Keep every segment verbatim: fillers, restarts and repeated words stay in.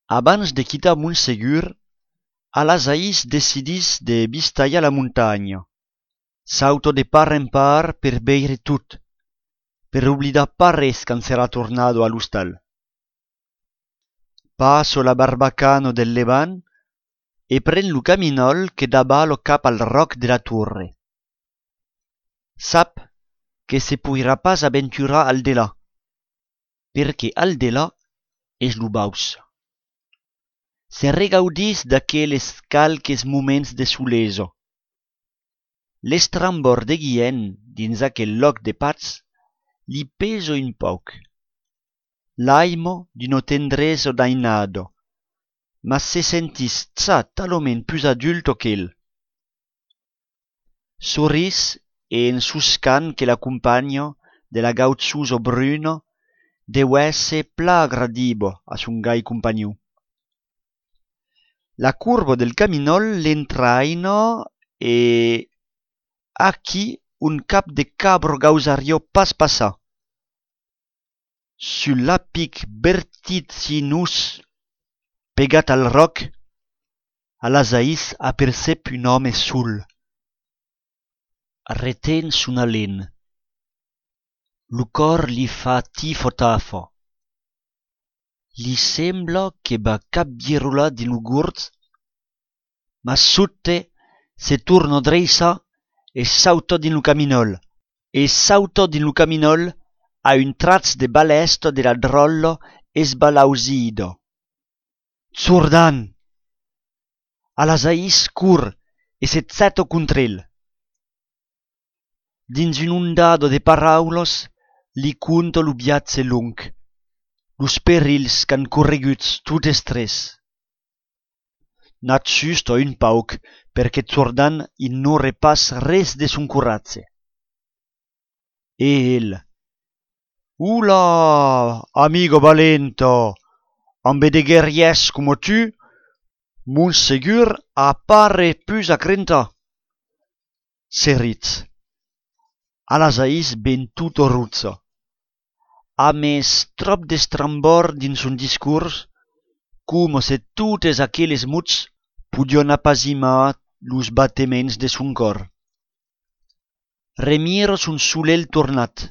Abans de quitar Montsegur, Alasaís decidís de vistalhar la montanha. Sauta de part en part per veire tot, per oblidar pas res quand serà tornada a l'ostal. Passa la barbacana del Levant e pren lo caminòl que davala cap al ròc de la Torre. Sap que se poirà pas aventurar al delà, perque al delà es lo baus. Se regaudís d'aqueles qualques moments de solesa. L'estrambòrd de Guilhèn dins aquel lòc de patz li pesa un pauc. L'aima d'una tendresa dainada, mas se sentís ja talament pus adulta qu'el. Sorís e en soscant que la companha de la gauchosa Bruna deu èsser plan agradiva a son gai companhon. La corba del caminòl l'entraina e aquí un cap de cabra gausariá pas passar. Sul lapic vertiginós pegat al ròc, Alasaís apercep un òme sol. Reten son alen. Lo còr li fa tifa-tafa. Li sembla que va capvirolar dins lo gorg, mas sobte se torna dreiçar e sauta dins lo caminòl. E sauta dins lo caminòl a un trach de balèsta de la dròlla esbalausida. Jordan! Alasaís cor e se jeta contra el. Dins una ondada de paraulas, li conta lo viatge long, los perilhs qu'an correguts totes tres. N'ajusta un pauc, perque Jordan ignòre pas res de son coratge. E el: Ola, amiga valenta, ambe de guerrièrs coma tu, Montsegur a pas res pus a crentar. Se ritz. Alasaís ven tota roja. A mes tròp d'estrambòrd dins son discors, coma se totes aqueles mots podián apasimar los batements de son còr. Remira son solelh tornat,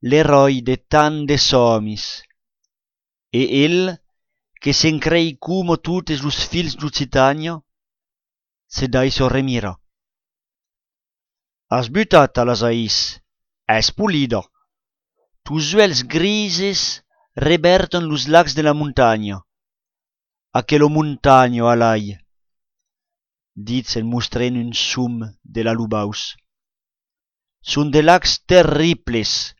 l'eròi de tant de sòmis. E el, que se'n crei coma totes los filhs d'Occitània, se daissa remirar. As butat, Alasaís, es polida. Tos uèlhs grises revèrtan los lacs de la montanha. Aquela montanha, alai, ditz en mostrent un som de la Lubaus. Son de lacs terribles.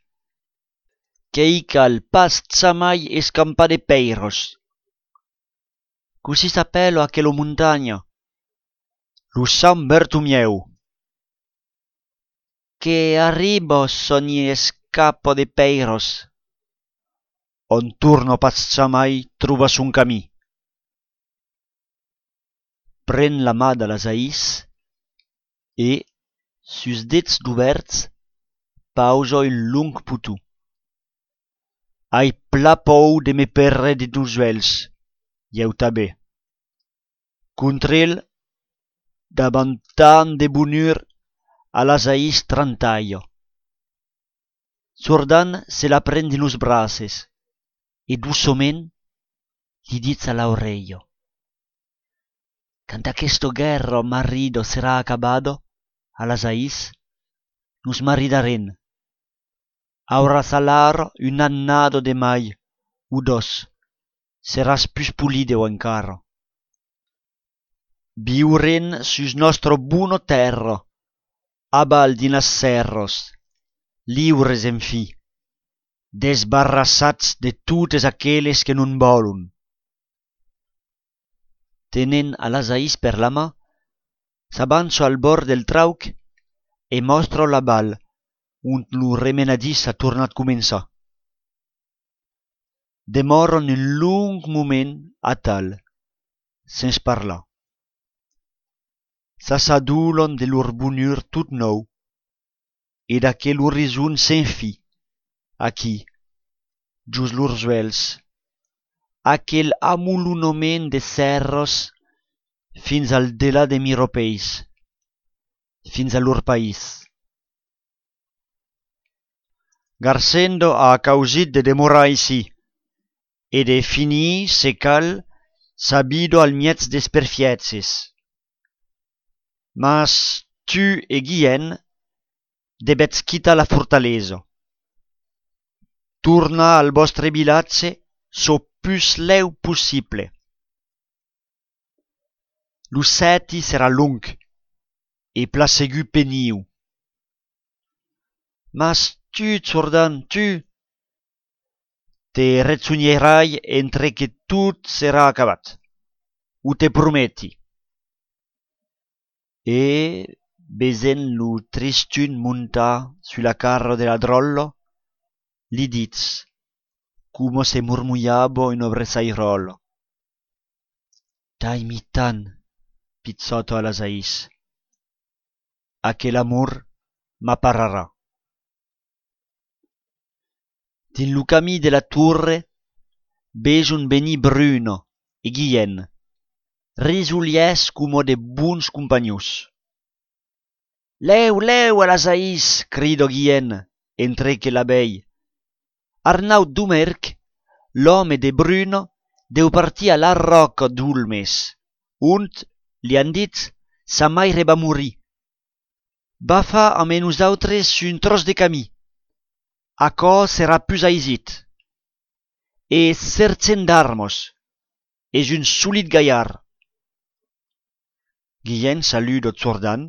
Que'i cal pas jamai escampar de pèiras. Cossí s'apèla aquela montanha? Lo Sant Bertomièu. Que arriba s'òm i escapa de pèiras. Òm torna pas jamai trobar son camin. Pren la man d'Alasaís e, sus dets dubèrts, pausa un long poton. Ai plan paur de me perdre dins los uèlhs, ieu tanben. Contra el, davant tant de bonur, Alasaís trantalha. Jordan se la pren dins los braces e doçament li ditz a l'aurelha: Quand aquesta guèrra marrida serà acabada, Alasaís, nos maridarem. Auràs alara una annada de mai o dos, seràs pus polida encara. Viurem sus nòstra bona tèrra, aval dins las sèrras, liures enfin, desbarrassats de totes aqueles que nos vòlon. Tenent Alasaís per la man, s'avança al bòrd del trauc e mòstra la val ont lo remenadís a tornat començar. Demòran un long moment atal, sens parlar. S'assadolan de lor bonur tot nòu e d'aquel orizont sens fin, aquí, jos lors uèlhs, aquel amolonament de sèrras fins al delà de Miropèis, fins a lor país. Garcendo a causit de demorar aicí e de finir, se cal, sa vida al mièg dels perfièches. Mas tu e Guilhèm devètz quitar la fortalesa. Tornar al vòstre vilatge çò pus lèu possible. Lo sèti serà long e plan segur peniu. Mas tu, Jordan, tu, te rejonheirai entre que tot serà acabat. O te prometi. E, vesent lo tristun montar sus la carra de la dròlla, li ditz, coma se mormolhava una breçairòla: T'aimi tant, pichòta Alasaís. Aquel amor m'apararà. Dins lo camin de la torre, veson venir Bruna e Guilhèm, risolièrs coma de bons companhons. Lèu, lèu, Alasaís, crida Guilhèm, entre que la vei. Arnaut Domerc, l'òme de Bruna, deu partir a la Ròca d'Olmes, ont, li an dit, sa maire va morir. Va far amé nosautres un tròç de camin. Aquò serà pus aisit. E sergent d'armas, es un solid galhard. Guilhèm saluda Jordan,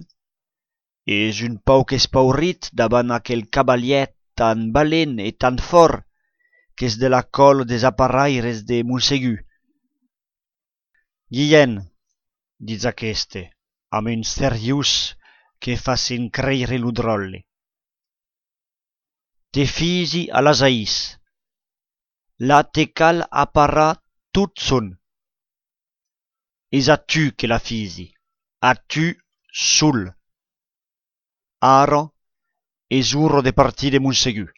es un pauc espaurit davant aquel cavalièr tan valent e tan fòrt qu'es de la còla dels aparaires de Montsegur. Guilhèm, ditz aqueste, amb un seriós que fa se'n creire lo dròlle. Te fisi Alasaís. La te cal aparar tot son. Es a tu que la fisi, a tu sol. Ara es ora de partir de Montsegur.